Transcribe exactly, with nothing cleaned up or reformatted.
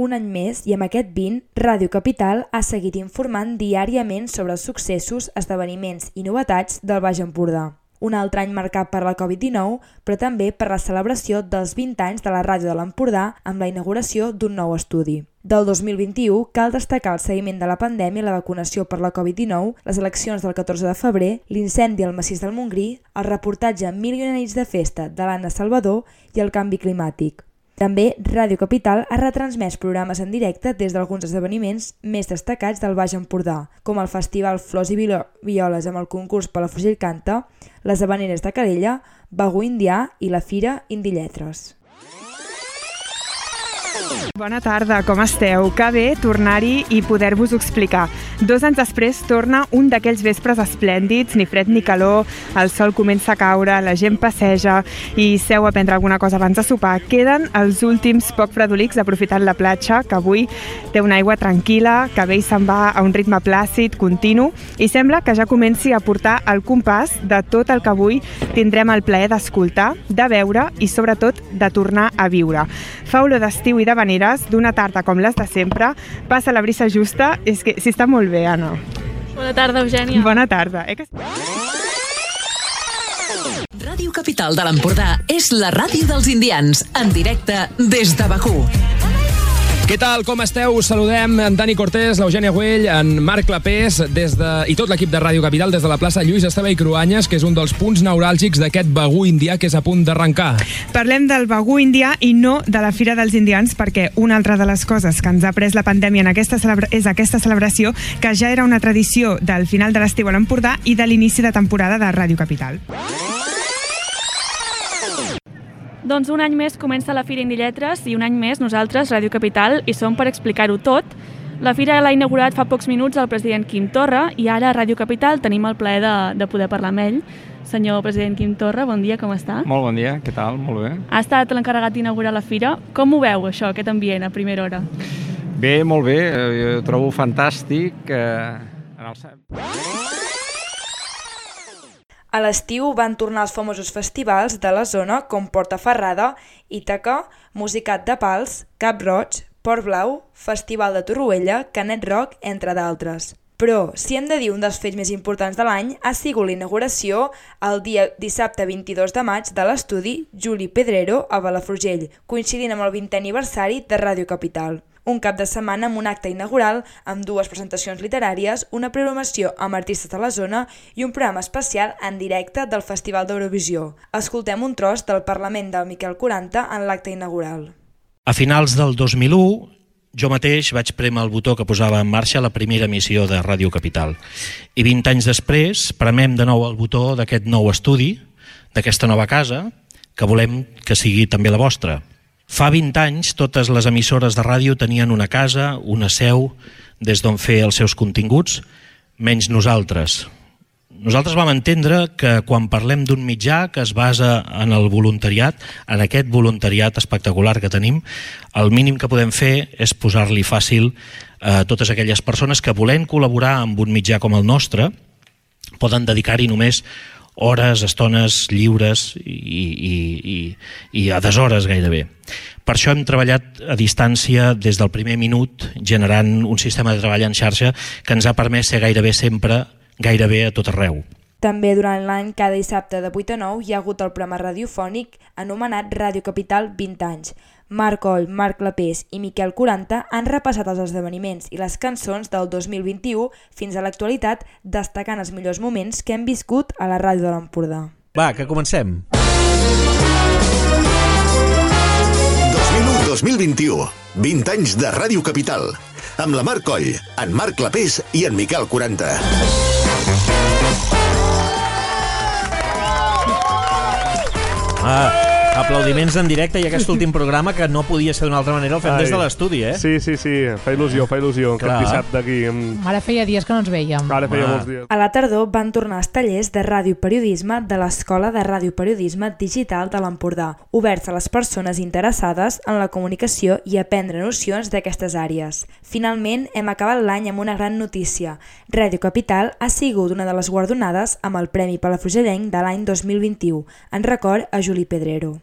un any més i amb aquest vint, Ràdio Capital ha seguit informant diàriament sobre els successos, esdeveniments i novetats del Baix Empordà. Un altre any marcat per la covid dinou, però també per la celebració dels vint anys de la Ràdio de l'Empordà amb la inauguració d'un nou estudi. Del dos mil vint-i-u cal destacar el seguiment de la pandèmia i la vacunació per la covid dinou, les eleccions del catorze de febrer, l'incendi al massís del Montgrí, el reportatge Mil i una nits de festa de l'Anna Salvador i el canvi climàtic. També Ràdio Capital ha retransmès programes en directe des d'alguns esdeveniments més destacats del Baix Empordà, com el Festival Flors i Violes amb el concurs Palafrugell Canta, les Havaneres de Calella, Bagú Indià i la Fira Indilletres. Bona tarda, com esteu? Que bé tornar-hi i poder-vos explicar. Dos anys després torna un d'aquells vespres esplèndids, ni fred ni calor, el sol comença a caure, la gent passeja i seu a prendre alguna cosa abans de sopar. Queden els últims poc fredolics aprofitant la platja, que avui té una aigua tranquil·la, que bé se'n va a un ritme plàcid, continu, i sembla que ja comenci a portar el compàs de tot el que avui tindrem el plaer d'escoltar, de veure i sobretot de tornar a viure. Fa olor d'estiu i d'havaneres, d'una tarda com les de sempre, passa la brisa justa, és que si està molt bé, Anna. Bona tarda, Eugènia. Bona tarda. Eh que... Ràdio Capital de l'Empordà és la ràdio dels indians, en directe des de Bakú. Què tal, com esteu? Saludem en Dani Cortés, l'Eugènia Güell, en Marc Clapés des de, i tot l'equip de Ràdio Capital des de la plaça Lluís Esteve i Cruanyes, que és un dels punts neuràlgics d'aquest Bagú indià que és a punt d'arrencar. Parlem del Bagú indià i no de la Fira dels Indians, perquè una altra de les coses que ens ha pres la pandèmia en aquesta celebra- és aquesta celebració, que ja era una tradició del final de l'estiu a l'Empordà i de l'inici de temporada de Ràdio Capital. Doncs un any més comença la Fira Indilletres i un any més nosaltres, Ràdio Capital, hi som per explicar-ho tot. La Fira l'ha inaugurat fa pocs minuts el president Quim Torra i ara a Ràdio Capital tenim el plaer de, de poder parlar amb ell. Senyor president Quim Torra, bon dia, com està? Molt bon dia, què tal? Molt bé. Ha estat l'encarregat d'inaugurar la Fira. Com ho veu, això, aquest ambient, a primera hora? Bé, molt bé, jo trobo fantàstic. Eh, en el... A l'estiu van tornar els famosos festivals de la zona com Portaferrada, Ítaca, Musicat de Pals, Cap Roig, Port Blau, Festival de Torroella, Canet Rock, entre d'altres. Però, si hem de dir un dels fets més importants de l'any, ha sigut la inauguració el dia dissabte vint-i-dos de maig de l'estudi Juli Pedrero a Palafrugell, coincidint amb el vintè aniversari de Ràdio Capital. Un cap de setmana amb un acte inaugural amb dues presentacions literàries, una programació amb artistes de la zona i un programa especial en directe del Festival d'Eurovisió. Escoltem un tros del Parlament del Miquel quaranta en l'acte inaugural. A finals del dos mil u, jo mateix vaig prémer el botó que posava en marxa la primera emissió de Ràdio Capital. I vint anys després premem de nou el botó d'aquest nou estudi, d'aquesta nova casa, que volem que sigui també la vostra. Fa vint anys totes les emissores de ràdio tenien una casa, una seu, des d'on fer els seus continguts, menys nosaltres. Nosaltres vam entendre que quan parlem d'un mitjà que es basa en el voluntariat, en aquest voluntariat espectacular que tenim, el mínim que podem fer és posar-li fàcil a totes aquelles persones que volent col·laborar amb un mitjà com el nostre poden dedicar-hi només hores, estones lliures i, i, i, i a deshores gairebé. Per això hem treballat a distància des del primer minut, generant un sistema de treball en xarxa que ens ha permès ser gairebé sempre, gairebé a tot arreu. També durant l'any, cada dissabte de vuit a nou, hi ha hagut el programa radiofònic anomenat Ràdio Capital vint anys. Marc Oll, Marc Clapés i Miquel quaranta han repassat els esdeveniments i les cançons del dos mil vint-i-u fins a l'actualitat, destacant els millors moments que hem viscut a la ràdio de l'Empordà. Va, que comencem! dos mil u dos mil vint-i-u, vint anys de Ràdio Capital, amb la Marc Oll, en Marc Clapés i en Miquel quaranta. Ah, aplaudiments en directe i aquest últim programa que no podia ser d'una altra manera el fem Ai, des de l'estudi, eh? Sí, sí, sí, fa il·lusió, fa il·lusió. Clar. Aquest dissabte aquí. Amb... Ara feia dies que no ens veiem. Ara feia ah. molts dies. A la tardor van tornar els tallers de radioperiodisme de l'Escola de Radioperiodisme Digital de l'Empordà, oberts a les persones interessades en la comunicació i aprendre nocions d'aquestes àrees. Finalment, hem acabat l'any amb una gran notícia. Ràdio Capital ha sigut una de les guardonades amb el Premi Palafrugellenc de l'any dos mil vint-i-u, en record a Juli Pedrero.